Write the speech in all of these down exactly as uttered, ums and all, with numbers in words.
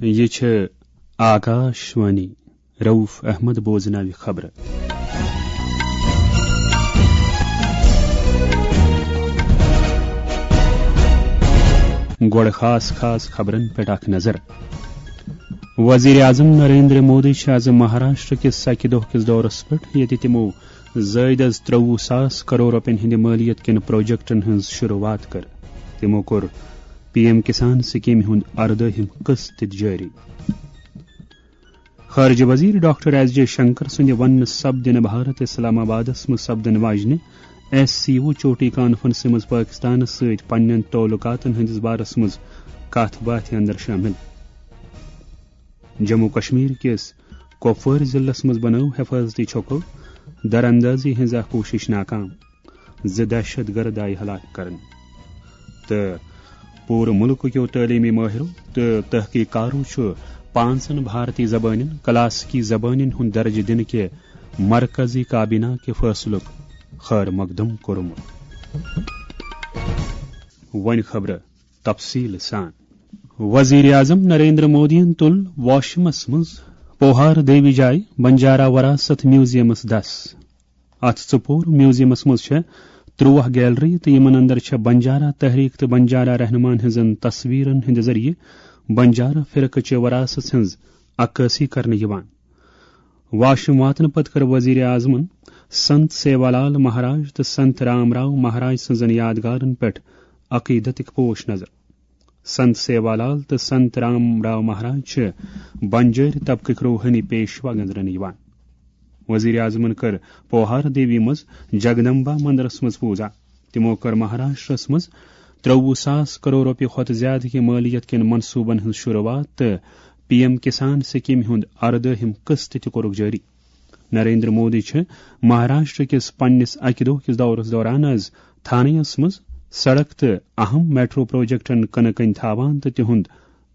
یہِ چھِ آکاش وانی۔ رؤف احمد بوزناوِ خبرٕ۔ گۄڈٕ خاص خاص خبرن پٮ۪ٹھ اکھ نظر۔ وزیر اعظم نریندر مودی چھِ آز مہاراشٹر کِس سکہِ دۄہ کِس دورس پٮ۪ٹھ، ییٚتہِ تِمو زٲیدٕ از ترٛوُہ ساس کرور رۄپین ہٕنٛدِ مٲلیت کٮ۪ن پروجیکٹن ہٕنٛز شروعات کٔر۔ تِمو کوٚر پی ایم کسان سکیمہِ ہُنٛد اردٲہِم قسط تہِ جٲری۔ خارجہ وزیر ڈاکٹر ایس جے شنکر سٕنٛدِ وننہٕ سپدِ نہٕ بھارت اسلام آبادس منٛز سپدن واجنہِ ایس سی او چوٹی کانفرنسہِ منٛز پٲکستانس سۭتۍ پننٮ۪ن تعلقاتن ہٕنٛدِس بارس منٛز کتھ باتھِ اندر شٲمِل۔ جموں کشمیر کِس کۄپوٲرۍ ضلعس منٛز بنٲو حفاظتی چھۄکو دراندازی ہٕنٛز اکھ کوٗشش ناکام، زٕ دہشت گرد آیہِ ہلاک کرنہٕ۔ تہٕ پوٗرٕ مُلکہٕ کیو تعلیمی مٲہرو تہٕ تحقیق کارو چھُ پانٛژن بھارتی زبانن کلاسیکی زبانن ہُنٛد درجہٕ دِنہٕ کہِ مرکزی کابینہ کہِ فٲصلُک خیر مقدم کوٚرمُت۔ وۄنۍ خبرٕ تفصیل سان۔ وزیر اعظم نریندر مودیَن تُل واشمس منٛز پوہار دیوی جایہِ بنجارا وراثت میوزیمس دس۔ اتھ ژُپوٗر میوزیمس منٛز چھےٚ ترٛوہ گیلری تہٕ یِمن اندر چھےٚ بنجارا تحریک تہٕ بنجارا رہنماہن ہٕنٛزن تصویرن ہٕنٛدِ ذٔریعہٕ بنجارا فرقہٕ چہِ وراثت ہٕنٛز عکٲسی کرنہٕ یِوان۔ واشم واتنہٕ پتہٕ کٔر وزیر اعظمن سنت سیوالال مہاراج تہٕ سنت رام راو مہاراج سٕنٛزن یادگارن پٮ۪ٹھ عقیدتٕکۍ پوش نظر۔ سنت سیوالال تہٕ سنت رام راو مہاراج چھِ بنجٲرۍ طبقٕکۍ روحٲنی پیشوا گنزرنہٕ یِوان۔ وزیر اعظمن کٔر پوہار دیوی منٛز جگدمبا مندرس منٛز پوٗزا۔ تِمو کٔر مہاراشٹرس منٛز ترٛوُہ ساس کرور رۄپیہِ کھۄتہٕ زیادٕ کہِ مٲلیت کٮ۪ن منصوٗبن ہٕنٛز شروٗعات تہٕ پی ایم کسان سکیمہِ ہُنٛد اردٲہِم قسط تہِ کوٚرُکھ جٲری۔ نریندر مودی چھِ مہاراشٹر کِس پننِس اکہِ دۄہ کِس دورس دوران از تھانیَس منٛز سڑک تہٕ اہم میٹرو پروجیکٹن کٕنہٕ کٔنۍ تھاوان تہٕ تِہُنٛد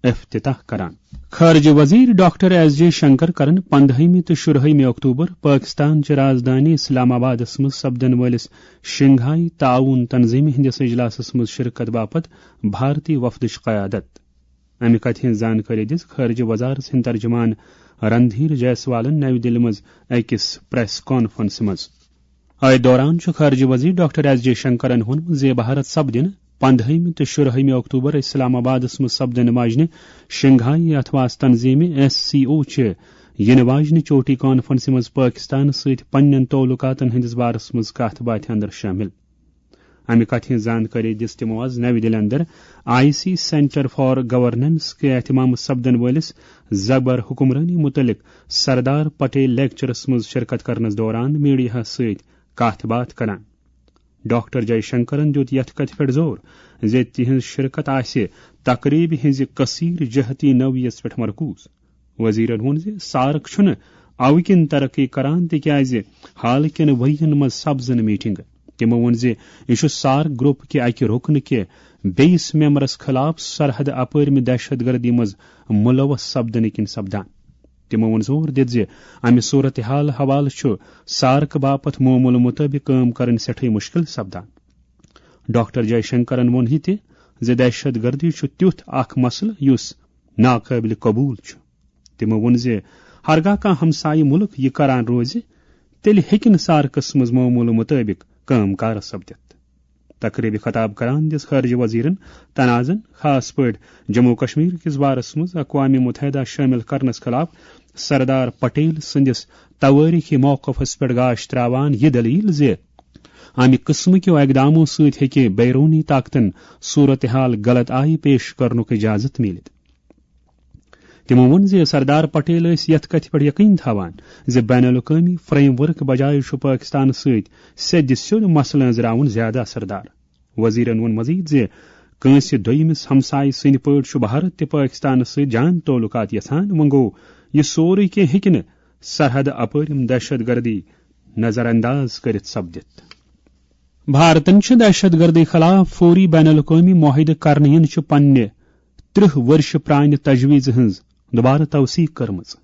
افتتاح کران۔ خارجہ وزیر ڈاکٹر ایس جے شنکر کرن پندہمہِ تہٕ شُرہمہِ اکتوبر پاکستان چہِ رازدانی اسلام آبادس منٛز سپدن وٲلِس شنگھائی تعاون تنظیمہِ ہٕنٛدِس اجلاسس منٛز شرکت باپتھ بھارتی وفدٕچ قیادت۔ امہِ کتھِ ہٕنٛز زانکٲری دِژ خارجہ وزارت ہٕنٛدۍ ترجمان رندھیر جیسوالن نَوِ دِلہِ منٛز أکِس پریس کانفرنسہِ منٛز۔ أتھۍ دوران چھُ خارجہ وزیر ڈاکٹر ایس جے شنکرن ووٚنمُت زِ بھارت سپدِ نہٕ پندہمہِ تہٕ شُرہمہِ اکتوبر اسلام آبادس منٛز سپدن واجنہِ شنگھائی اتھواس تنظیمہِ ایس سی او چہِ یِنہٕ واجنہِ چوٹی کانفرنسہِ منٛز پٲکستانس سۭتۍ پننٮ۪ن تعلقاتن ہٕنٛدِس بارس منٛز کتھ باتھِ اندر شٲمِل۔ امہِ کتھِ ہٕنٛز زانکٲری دِژ تِمو از نَوِ دِلہِ اندر I C centre for governance کہِ اہتمام سپدن وٲلِس زبر حکمرٲنی مُتعلق سردار پٹیل لیکچرس منٛز شرکت کرنس دوران میڈیاہس سۭتۍ کتھ باتھ کران۔ ڈاکٹر جے شنکرن دیُت یتھ کتھِ پٮ۪ٹھ زور زِ تِہنٛز شرکت آسہِ تقریبہِ ہٕنٛزِ کثیر جہتی نوعیت پٮ۪ٹھ مرکوز۔ وزیرن ووٚن زِ سارک چھُنہٕ اوٕ کِنۍ ترقی کران تِکیازِ حال کٮ۪ن ؤرین منٛز سپزٕ نہٕ میٹنگہٕ۔ تِمو ووٚن زِ یہِ چھُ سارک گروپ کہِ اکہِ رُکنہٕ کہِ بیٚیِس ممبرس خلاف سرحد اپٲرمہِ دہشت گردی منٛز ملوث سپدنہٕ کِنۍ سپدان۔ تِمو ووٚن زور دِتھ زِ امہِ صورتحال حوالہٕ چھُ سارک باپتھ معمول مطٲبق کٲم کرٕنۍ سٮ۪ٹھٕے مُشکِل سپدان۔ ڈاکٹر جے شنکرن ووٚن یہِ تہِ زِ دہشت گردی چھُ تیُتھ اکھ مسلہٕ یُس ناقٲبلِ قبول چھُ۔ تِمو ووٚن زِ ہرگاہ کانٛہہ ہمسایہِ مُلک یہِ کران روزِ، تیٚلہِ ہیٚکہِ نہٕ سارکس منٛز معمول مطٲبق کٲم کار سپدِتھ۔ تقریبہِ خطاب کران دِژ خارجہ وزیرن تنازن خاص پٲٹھۍ جموں کشمیر کِس بارس منٛز اقوام متحدہ شٲمِل کرنس خلاف سردار پٹیل سٕنٛدِس توٲریخی موقفس پٮ۪ٹھ گاش تراوان یہِ دلیل زِ امہِ قٕسمہٕ کیو اقدامو سۭتۍ ہیٚکہِ بیرونی طاقتن صورتحال غلط آیہِ پیش کرنُک اجازت میٖلِتھ۔ تِمو ووٚن زِ سردار پٹیل ٲسۍ یتھ کتھِ پٮ۪ٹھ یقین تھاوان زِ بین الاقوٲمی فریم ورک بجایہِ چھُ پٲکستانس سۭتۍ سیٚدِ سیوٚد مسلہٕ أنٛزراوُن زیادٕ اثردار۔ وزیرن ووٚن مزید زِ کٲنٛسہِ دوٚیمِس ہمسایہِ سٕنٛدِ پٲٹھۍ چھُ بھارت تہِ پٲکستانس سۭتۍ جان تعلقات یژھان، وۄنۍ گوٚو یہِ سورُے کینٛہہ ہیٚکہِ نہٕ سرحد اپٲرِم دہشت گردی نظر انداز کٔرِتھ سپدِتھ۔ بھارتن چھِ دہشت گردی خلاف فوری بین الاقوٲمی معاہدٕ کرنہٕ یِنہٕ چہِ پننہِ ترٕٛہ ؤرشہِ پرانہِ تجویزِ ہٕنٛز دوبارٕ توثیق کٔرمٕژ۔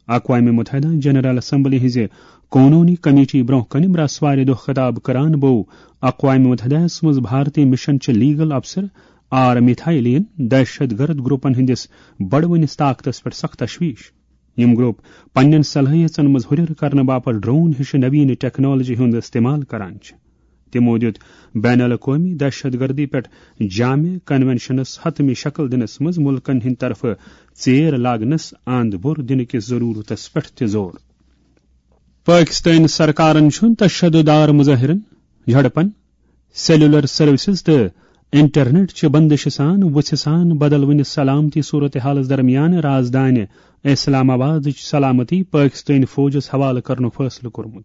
اقوام متحدہ جنرل اسمبلی ہٕنٛزِ قونوٗنی کمیٹی برٛونٛہہ کنہِ برٛسوارِ دۄہ خطاب کران بوو اقوام متحدہس منٛز بھارتی مشن چہِ لیگل افسر آر میتھایلین دہشت گرد گروپن ہٕنٛدِس بڑوٕنِس طاقتس پٮ۪ٹھ سخ تشویش۔ یِم گروپ پننٮ۪ن صلٲحیژن منٛز ہُرٮ۪ر کرنہٕ باپتھ ڈرون ہِش نوین ٹیکنالوجی ہُنٛد استعمال کران چھِ۔ تِمو دیُت بین الاقوٲمی دہشت گردی پٮ۪ٹھ جامع کنونشنس حتمی شکل دِنس منٛز مُلکن ہٕنٛدِ طرفہٕ ژیر لاگنس اند بوٚر دِنہٕ کِس ضروٗرتس پٮ۪ٹھ تہِ زور۔ پٲکِستٲنۍ سرکارن چھُ تشدد آر مظٲہرن، جھڑپن، سیلولر سروسز تہٕ انٹرنیٹ چہِ بندشہِ سان وُژھِ سان بدلوٕنہِ سلامتی صورتحالس درمیان رازدانہِ اسلام آبادٕچ سلامتی پٲکِستٲنۍ فوجس حوالہٕ کرنُک فٲصلہٕ کوٚرمُت۔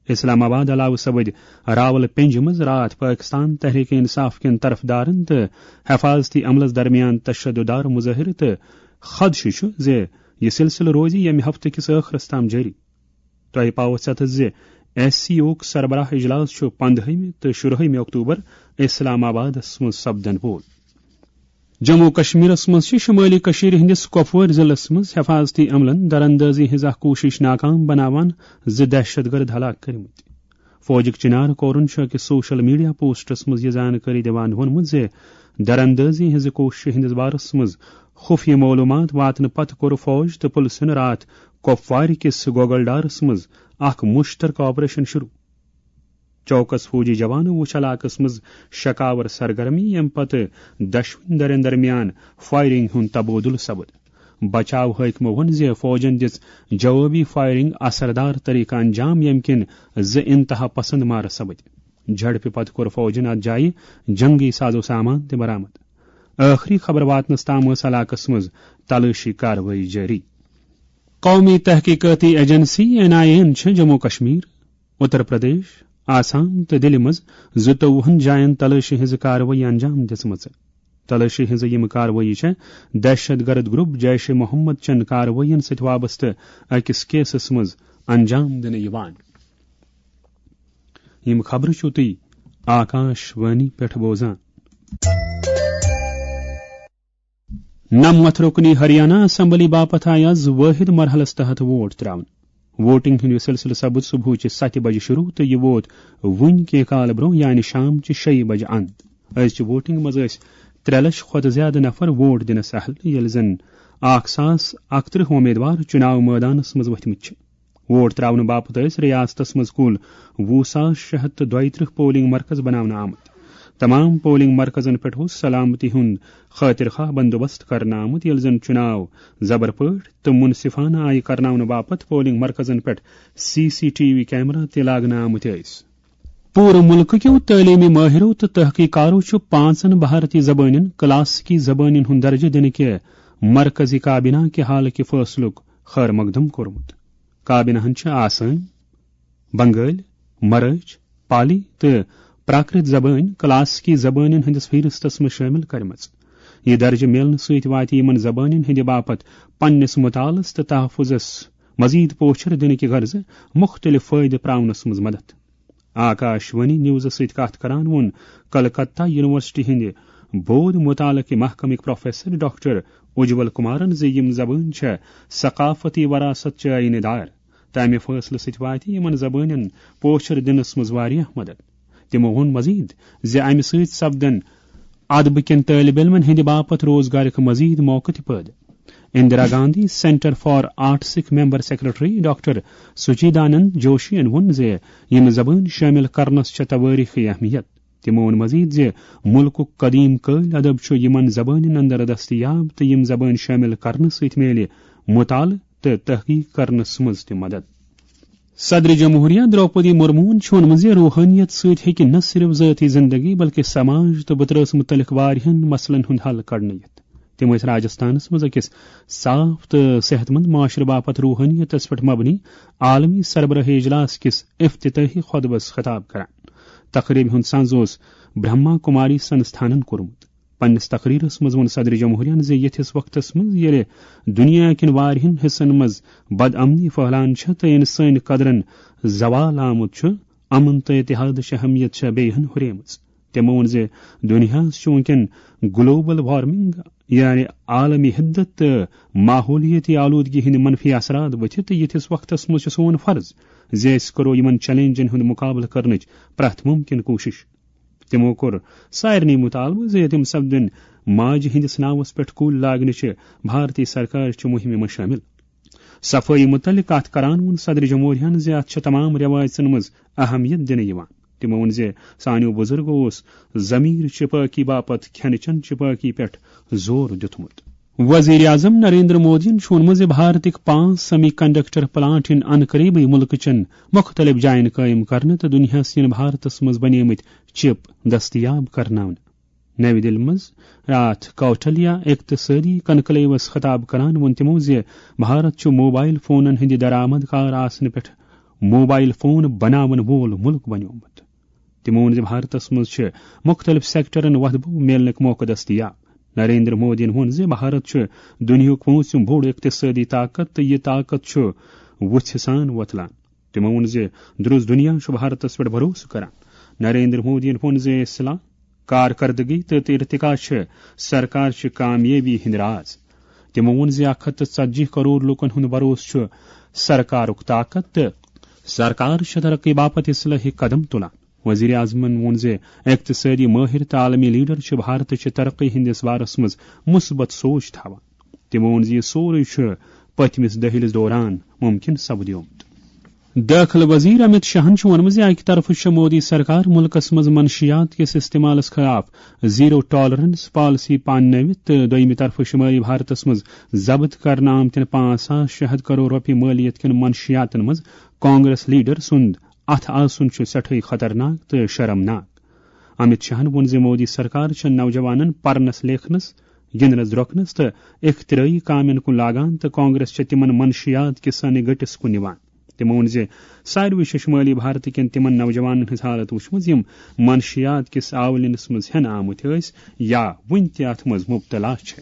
اسلام آباد علاوٕ سپٕدۍ راول پنجہِ منٛز راتھ پٲکِستان تحریک انصاف کٮ۪ن طرفدارن تہٕ حفاظتی عملس درمیان تشدد آر مظٲہرٕ تہٕ خدشہٕ چھُ زِ یہِ سلسلہٕ روزِ ییٚمہِ ہفتہٕ کِس ٲخرس تام جٲری۔ تۄہہِ پاوو ژٮ۪تس زِ ایس سی اوک سربراہ اجلاس چھُ پندہٲیمہِ تہٕ شُرہٲیمہِ اکتوبر اسلام آبادس منٛز سپدن وول۔ جموں و کشمیرس منٛز چھِ شمٲلی کٔشیٖرِ ہٕنٛدِس کۄپوٲرۍ ضلعس منٛز حفاظتی عملن دراندازی ہٕنٛز اکھ کوٗشش ناکام بناوان زٕ دہشت گرد ہلاک کٔرمٕتۍ۔ فوجٕکۍ چنار کورن چھُ أکِس سوشل میڈیا پوسٹس منٛز یہِ زانکٲری دِوان ووٚنمُت زِ دراندازی ہٕنٛزِ کوٗششہِ ہٕنٛدِس بارس منٛز خُفیہ معلوٗمات واتنہٕ پتہٕ کوٚر فوج تہٕ پُلسن راتھ کۄپوارِ کِس گوگل ڈارس منٛز اکھ مُشترکہٕ آپریشن شروٗع۔ چوکس فوجی جوانو وُچھ علاقس منٛز شکاور سرگرمی، ییٚمہِ پتہٕ دۄشوٕنی دھرٮ۪ن درمیان فائرنگ ہُنٛد تبادلہٕ سپُد۔ بچاو حٲکمو ووٚن زِ فوجن دِژ جوابی فائرنگ اثردار طریقہٕ انجام، ییٚمہِ کِنۍ زٕ انتہا پسند مارٕ سپٕدۍ۔ جھڑپہِ پتہٕ کوٚر فوجن اتھ جایہِ جنگی ساز و سامان تہِ برآمد۔ ٲخری خبر واتنس تام ٲس علاقس منٛز تلٲشی کاروٲیی جٲری۔ قومی تحقیقاتی ایجنسی، این آئی اے، یَن چھِ جموں و کشمیر، اتر پردیش، آسام تہٕ دِلہِ منٛز زٕتووُہن جاین تلٲشی ہٕنٛز کاروٲیی انجام دِژمٕژ۔ تلٲشی ہٕنٛزٕ یِم کاروٲیی چھےٚ دہشت گرد گروپ جیش محمد چٮ۪ن کاروٲیین سۭتۍ وابستہٕ أکِس کیسس منٛز انجام دِنہٕ یِوان۔ یِم خبرٕ چھِو تُہۍ آکاش وانی پٮ۪ٹھ بوزان۔ نَمَتھ رُکنی ہریانہ اسمبلی باپتھ آیہِ آز وٲحد مرحلس تحت ووٹ تراونہٕ۔ ووٹنگ ہُنٛد یہِ سلسلہٕ سپُد صبحٕچہِ ستہِ بجہِ شروع تہٕ یہِ ووت وُنہِ کینٛہہ کال برٛونٛہہ، یعنی شام چہِ شیٚیہِ بجہِ اند۔ أزچہِ ووٹنگ منٛز ٲسۍ ترٛےٚ لچھ کھۄتہٕ زیادٕ نفر ووٹ دِنس اہل، ییٚلہِ زن اکھ ساس اکترٕہ امیدوار چُناو مٲدانس منٛز ؤتھمٕتۍ چھِ۔ ووٹ تراونہٕ باپتھ ٲسۍ ریاستس منٛز کُل وُہ ساس شےٚ ہتھ تہٕ دۄیہِ ترٕٛہ پولنگ مرکز بناونہٕ آمٕتۍ۔ تمام پولنگ مرکزن پٮ۪ٹھ اوس سلامتی ہُنٛد خٲطرٕ خواہ بندوبست کرنہٕ آمُت، ییٚلہِ زن چُناو زبر پٲٹھۍ تہٕ منصفانہٕ آیہِ کرناونہٕ باپتھ پولنگ مرکزن پٮ۪ٹھ C C T V camera تہِ لاگنہٕ آمٕتۍ ٲسۍ۔ پوٗرٕ مُلکہٕ کیو تعلیمی مٲہرو تہٕ تحقیقارو چھُ پانٛژن بھارتی زبٲنٮ۪ن کلاسیکی زبٲنٮ۪ن ہُنٛد درجہٕ دِنہٕ کہِ مرکزی کابینہ کہِ حالہٕ کہِ فٲصلُک خیر مقدم کوٚرمُت۔ کابینہن چھِ آسٲمۍ، بنگٲلۍ، مرٲٹھۍ، پالی تہٕ پراکرت زبٲنۍ کلاسیکی زبٲنٮ۪ن ہٕنٛدِس فہرستس منٛز شٲمِل کٔرمٕژ۔ یہِ درجہٕ میلنہٕ سۭتۍ واتہِ یِمن زبٲنٮ۪ن ہٕنٛدِ باپتھ پننِس مطالعس تہٕ تحفظس مزید پوچھر دِنہٕ کہِ غرضہٕ مُختٔلِف فٲیدٕ پراونس منٛز مدد۔ آکاش وانی نیوزس سۭتۍ کتھ کران ووٚن کلکتہ یونیورسٹی ہٕنٛدِ بود مطالعہٕ کہِ محکمٕکۍ پروفیسر ڈاکٹر اجول کمارن زِ یِم زبٲنۍ چھےٚ ثقافتی وراثت چہِ آیینہٕ دار۔ تمہِ فٲصلہٕ سۭتۍ واتہِ یِمن زبٲنٮ۪ن پوچھر دِنس منٛز واریاہ مدد۔ تِمو ووٚن مزید زِ امہِ سۭتۍ سپدن ادبہٕ کٮ۪ن طٲلب علمن ہٕنٛدِ باپتھ روزگارٕکۍ مزید موقعہٕ تہِ پٲدٕ۔ اندرا گاندھی سینٹر فار آرٹسٕکۍ ممبر سیکرٹری ڈاکٹر سچیدانند جوشین ووٚن زِ یِم زبٲنۍ شٲمِل کرنس چھےٚ توٲریخی اہمیت۔ تِمو ووٚن مزید زِ مُلکُک قدیم قٲلۍ ادب چھُ یِمن زبٲنٮ۪ن اندر دستیاب تہٕ یِم زبٲنۍ شٲمِل کرنہٕ سۭتۍ میلہِ مطالعہٕ تہٕ تحقیق کرنس منٛز تہِ مدد۔ صدر جمہوریہ درٛوپدی مرموہن چھُ ووٚنمُت زِ روحٲنیت سۭتۍ ہیٚکہِ نہ صرف ذٲتی زندگی بلکہِ سماج تہٕ بترس مُتعلق واریاہن مسلن ہُنٛد حل کڑنہٕ یِتھ۔ تِم ٲسۍ راجستھانس منٛز أکِس صاف تہٕ صحت مند معاشرٕ باپتھ روحٲنیتس پٮ۪ٹھ مبنی عالمی سربراہی اجلاس کِس افتتاحی خطبس خطاب کران۔ تقریبہِ ہُنٛد سنز اوس برہما کماری سنستھانن کوٚرمُت۔ پننِس تقریرس منٛز ووٚن صدر جمہوریہن زِ یِتھِس وقتس منٛز ییٚلہِ دُنیا کٮ۪ن واریاہن حصن منٛز بد امنی پھٔہلان چھےٚ تہٕ انسٲنی قدرن زوال آمُت چھُ، امن تہٕ اتحادٕچ اہمیت چھےٚ بیٚیہِ ہن ہُریمٕژ۔ تٔمۍ ووٚن زِ دُنیاہس چھُ وُنکٮ۪ن گلوبل وارمنگ، یعنی عالمی حدت تہٕ ماحولیٲتی آلودگی ہٕنٛدۍ منفی اثرات ؤتھِتھ، تہٕ یِتھِس وقتس منٛز چھُ سون فرض زِ أسۍ کرو یِمن چیلنجن ہُنٛد مقابلہٕ کرنٕچ پرٛٮ۪تھ مُمکِن کوٗشش۔ تِمو کوٚر سارنٕے مُطالبہٕ زِ تِم سپدن ماجہِ ہٕنٛدِس ناوس پٮ۪ٹھ کُلۍ لاگنٕچہِ بھارتی سرکارٕچہِ مُہِمہِ منٛز شٲمِل۔ صفٲیی مُتعلق کتھ کران ووٚن صدر جمہوریہن زِ اتھ چھِ تمام رٮ۪وایژن منٛز اہمیت دِنہٕ یِوان۔ تِمو ووٚن زِ سانیو بُزرگو اوس ضمیرچہِ پٲکی باپتھ کھٮ۪نہٕ چٮ۪نہٕ چہِ پٲکی پٮ۪ٹھ زور دیُتمُت۔ وزیر اعظم نریندر مودیَن چھُ ووٚنمُت زِ بھارتٕکۍ پانٛژھ سیمی کنڈکٹر پلانٹ یِن ان قریبٕے مُلکہٕ چٮ۪ن مُختٔلِف جاین قٲیِم کرنہٕ تہٕ دُنیاہَس یِن بھارتَس منٛز بنیمٕتۍ چپ دٔستیاب کرناونہٕ۔ نَوِ دِلہِ منٛز راتھ کوٹلیا اقتصٲدی کنکلیوَس خطاب کران ووٚن تِمَو زِ بھارت چھُ موبایل فونَن ہٕنٛدِ درآمد کار آسنہٕ پٮ۪ٹھ موبایل فون بناون وول مُلک بنیومُت۔ تِمو ووٚن زِ بھارتس منٛز چھِ مُختٔلِف سیکٹرن وۄتھٕ بو میلنٕکۍ موقعہٕ دٔستیاب۔ نریندر مودیَن ووٚن زِ بھارت چھُ دُنیاہُک پوٗنٛژِم بوٚڑ اقتصٲدی طاقت تہٕ یہِ طاقت چھُ وُژھِ سان وۄتلان۔ تِمو ووٚن زِ درُس دُنیا چھُ بھارتس پٮ۪ٹھ بھروسہٕ کران۔ نریندر مودیَن ووٚن زِ اصلاح، کارکردگی تہٕ ارتقا چھِ سرکار چہِ کامیٲبی ہٕنٛدۍ راز۔ تِمو ووٚن زِ اکھ ہتھ تہٕ ژتجی کرور لوٗکن ہُنٛد بھروسہٕ چھُ سرکارُک طاقت تہٕ سرکار چھِ ترقی باپتھ اصلاحی قدم تُلان۔ وزیر اعظمن ووٚن زِ اقتصٲدی مٲہِر تہٕ عالمی لیڈر چھِ بھارتٕچہِ ترقی ہٕنٛدِس بارس منٛز مثبت سونچ تھاوان۔ تِمو ووٚن زِ یہِ سورُے چھُ پٔتمِس دٔہلِس دوران مُمکِن سپدیومُت۔ دٲخلہٕ وزیر امت شاہن چھُ ووٚنمُت زِ اکہِ طرفہٕ چھےٚ مودی سرکار مُلکس منٛز منشیات کِس استعمالس خلاف زیرو ٹالرنس پالیسی پاننٲوِتھ تہٕ دوٚیمہِ طرفہٕ شمٲلی بھارتس منٛز ضبط کرنہٕ آمتٮ۪ن پانٛژھ ساس شےٚ ہتھ کرور رۄپیہِ مٲلیت کٮ۪ن منشیاتن منٛز کانگریس لیڈر سُنٛد اتھٕ آسُن چھُ سٮ۪ٹھٕے خطرناک تہٕ شرمناک۔ امت شاہن ووٚن زِ مودی سرکار چھےٚ نوجوانن پرنس لیکھنس، گِنٛدنس درۄکنس تہٕ اختراعی کامٮ۪ن کُن لاگان تہٕ کانگریس چھےٚ تِمن منشیات کِس سانہِ گٔٹِس کُن نِوان۔ تِمو ووٚن زِ ساروٕے چھےٚ شُمٲلی بھارتہٕ کٮ۪ن تِمن نوجوانن ہٕنٛز حالت وٕچھمٕژ، یِم منشیات کِس آولِنس منٛز ہٮ۪نہٕ آمٕتۍ ٲسۍ یا وُنہِ تہِ اتھ منٛز مُبتلا چھِ۔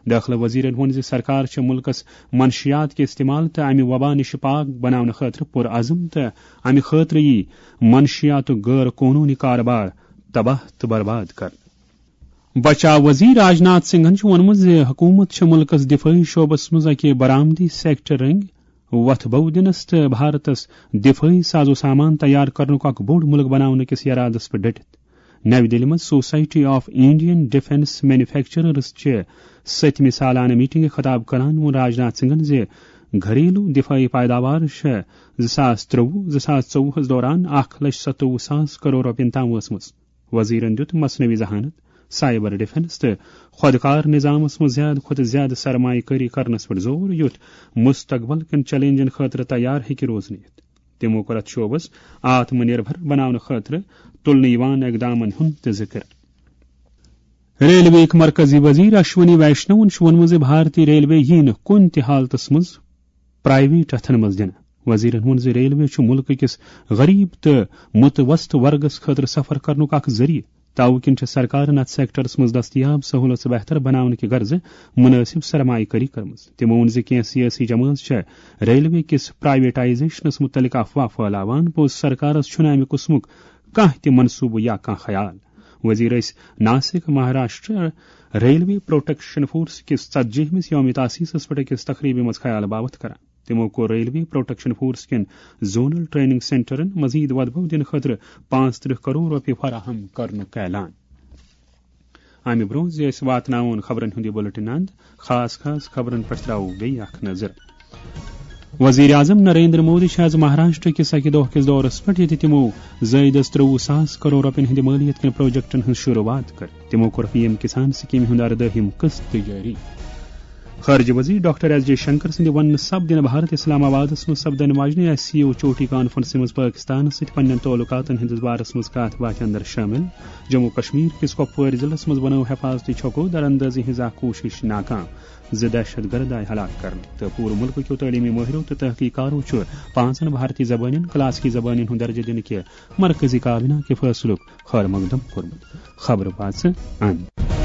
دٲخلہٕ وزیرن ووٚن زِ سرکار چھےٚ مُلکس منشیات کہِ استعمال تہٕ امہِ وبا نِش پاک بناونہٕ خٲطرٕ پُرعزم تہٕ امہِ خٲطرٕ یی منشیاتُک غٲر قونوٗنی کاربار تباہ تہٕ برباد کرنہٕ۔ بچاو وزیر راجناتھ سنگھن چھُ ووٚنمُت زِ حکوٗمت چھےٚ مُلکَس دِفٲعی شعبَس منٛز اَکہِ برآمدی سیکٹر رٔنٛگۍ وۄتھ بو دِنَس تہٕ بھارتَس دِفٲعی ساز و سامان تیار کرنُک اکھ بوٚڑ مُلک بناونہٕ کِس یرادَس پٮ۪ٹھ ڈٔٹِتھ۔ نَوِ دِلہِ منٛز society of Indian defence manufacturers چہِ سٔتمہِ سالانہٕ میٹنگہِ خطاب کران ووٚن راجناتھ سنگھن زِ گھریلو دِفٲعی پیداوار چھےٚ زٕ ساس ترٛۆوُہ زٕ ساس ژوٚوُہَس دوران اکھ لچھ ستووُہ ساس کرور رۄپین تام وٲژمٕژ۔ وزیرن دیُت مصنوعی ذہانت، سائبر ڈیفنس تہٕ خۄدکار نظامس منٛز زیادٕ کھۄتہٕ زیادٕ سرمایہ کٲری کرنس پٮ۪ٹھ زور، یُتھ مستقبل کٮ۪ن چیلنجن خٲطرٕ تیار ہیٚکہِ روزنہٕ یِتھ۔ تِمو کوٚر اتھ شعبس آتم نربھر بناونہٕ خٲطرٕ تُلنہٕ یِوان اقدامن ہُنٛد تہِ ذِکر۔ ریلوے ہٕکۍ مرکزی وزیر اشونی ویشنون چھُ ووٚنمُت زِ بھارتی ریلوے یِیہِ نہٕ کُنہِ تہِ حالتس منٛز پرائیویٹ اتھن منٛز دِنہٕ۔ وزیرن ووٚن زِ ریلوے چھُ مُلکہٕ کِس غریب تہٕ متوسط ورگس خٲطرٕ سفر کرنُک اکھ ذٔریعہٕ۔ توٕ کِنۍ چھِ سرکارن اتھ سیکٹرس منٛز دستیاب سہولژٕ بہتر بناونہٕ کہِ غرضہٕ مناسب سرمایہ کٲری کٔرمٕژ۔ تِمو ووٚن زِ کینٛہہ سیٲسی جمٲژ چھےٚ ریلوے کِس پرائیویٹائزیشنس متعلق افواہ پھٲلاوان، پوٚز سرکارس چھُنہٕ امہِ قٕسمُک کانٛہہ تہِ منصوبہٕ یا کانٛہہ خیال۔ وزیر ٲسۍ Nashik Maharashtra railway protection force کِس ژتجی ہمِس یوم تاسیسس پٮ۪ٹھ أکِس تقریبہِ منٛز خیال باوتھ کران۔ تِمو کوٚر ریلوے پروٹیکشن فورس کٮ۪ن زونل ٹریننگ سینٹرن مزید وۄدبو دِنہٕ خٲطرٕ پانٛژھ ترٕٛہ کرور رۄپیہِ فراہم کرنُک اعلان۔ امہِ برونٛہہ زِ أسۍ واتناوون خبرن ہُنٛد یہِ بُلٹن اند، خاص خاص خبرن پٮ۪ٹھ ترٛاوو بیٚیہِ اکھ نظر۔ وزیر اعظم نریندر مودی چھِ آز مہاراشٹر کِس اکہِ دۄہ کِس دورس پٮ۪ٹھ، ییٚتہِ تِمو زٲیدس ترٛۆوُہ ساس کرور رۄپین ہٕنٛدِ مٲلیت کٮ۪ن پروجیکٹن ہٕنٛز شروٗعات کٔر۔ تِمو کوٚر پی ایم کسان سکیمہِ ہُنٛد اردٲہِم قسط تہِ جٲری۔ خارجہ وزیر ڈاکٹر ایس جے شنکر سٕنٛدِ وننہٕ سپدِ نہٕ بھارت اسلام آبادس منٛز سپدن واجنہِ ایس سی او چوٹی کانفرنسہِ منٛز پاکستانس سۭتۍ پننٮ۪ن تعلقاتن ہٕنٛدِس بارس منٛز کتھ باتھِ اندر شٲمِل۔ جموں کشمیر کِس کۄپوٲرۍ ضلعس منٛز بنٲو حفاظتی چھکو در اندٲزی ہٕنٛز اکھ کوٗشش ناکام، زٕ دہشت گرد آیہِ ہلاک کرنہٕ، تہٕ پوٗرٕ مُلکہٕ کیو تعلیمی مٲہرو تہٕ تحقیق کارو چھُ پانٛژن بھارتی زبانن کلاسیکی زبانن ہُنٛد درجہٕ دِنہٕ کہِ مرکزی کابینہ کہِ فٲصلُک خیر مقدم کوٚرمُت۔ خبرٕ واژٕ اند۔